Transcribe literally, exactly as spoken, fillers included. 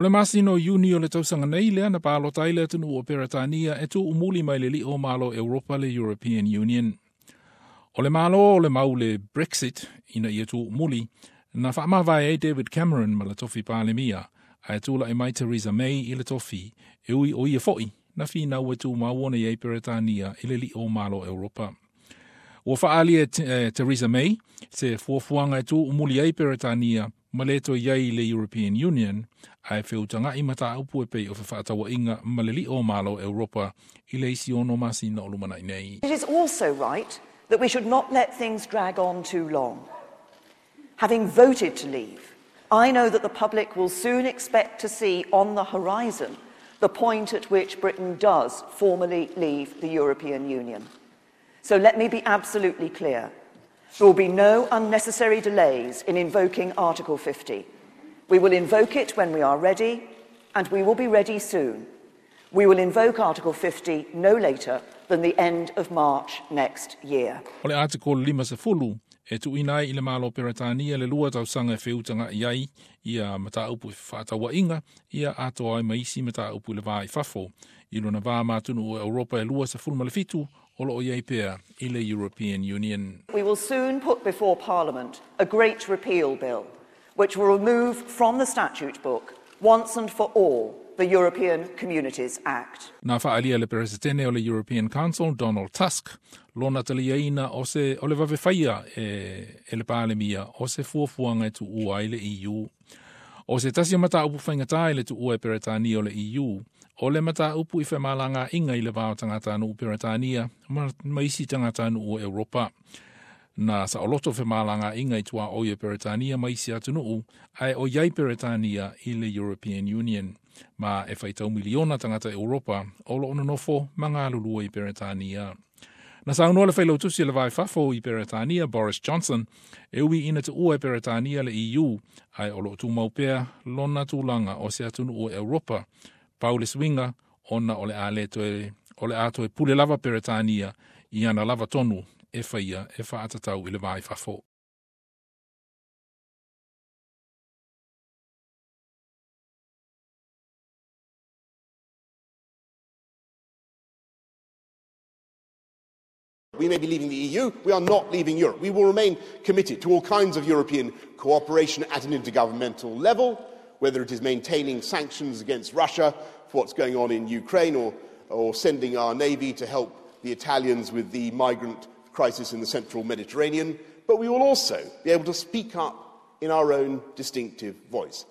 O le masina o Iuni o le tausaga nei lea na palota ai le atunuu o Peretania e tuumuli mai le li'o o Malo Europa le European Union. O le Malo o le mau le Brexit ina ia tuumuli na faamavae ai David Cameron ma le tofi Palemia ae tula'i mai Theresa May i le tofi e ui o ia fo'i na finau e tumau ona i ai Peretania i le li'o o Malo Europa. Ua faaalia e Theresa May se fuafuaga e tuumuli ai Peretania ma le toe i ai i le European Union ae feutaga'i mataupu e pei o fefaataua'iga ma le li'o o Malo Europa i le isi ono masina o lumana'i nei. It is also right that we should not let things drag on too long. Having voted to leave, I know that the public will soon expect to see on the horizon the point at which Britain does formally leave the European Union. So let me be absolutely clear. There will be no unnecessary delays in invoking Article fifty. We will invoke it when we are ready, and we will be ready soon. We will invoke Article fifty no later than the end of March next year. O le Article fifty e tuuina ai i le Malo Peretania le lua tausaga e feutaga'i ai ia mataupu i fefaataua'iga ia atoa ai ma isi mataupu i le va i fafo i lona va ma atunuu o Europa e lua sefulu ma le fitu o loo i ai pea i le European Union. We will soon put before Parliament a great repeal bill, which will remove from the statute book, once and for all, the European Communities Act. Na faaalia le Peresetene o le European Council, Donald Tusk, lona taliaina o se o le vavefāia e, e le Palemia o se fuafuaga e tuua ai le E U. O se tasi o mataupu faigata i le tuua e Peretania o le E U, o le mataupu i femalagaaiga i le va o tagatanuu Peretania ma, ma isi tagatanuu o Europa. Na saoloto femalagaaiga i tuaoi e Peretania ma isi atunuu ae o iai Peretania i le European Union. Ma e faitau miliona tagata Europa o loo nonofo ma galulue i Peretania. Na saunoa le failautusi o le va i fafo i Peretania Boris Johnson e ui ina tuua e Peretania le E U ae o loo tumau pea lona tulaga o se atunuu o Europa. Pau le suiga ona o le a le toe o le a toe pule lava Peretania i ana lava tonu e faia e faatatau i le va i fafo. We may be leaving the E U, we are not leaving Europe. We will remain committed to all kinds of European cooperation at an intergovernmental level, whether it is maintaining sanctions against Russia for what's going on in Ukraine or, or sending our navy to help the Italians with the migrant crisis in the central Mediterranean. But we will also be able to speak up in our own distinctive voice.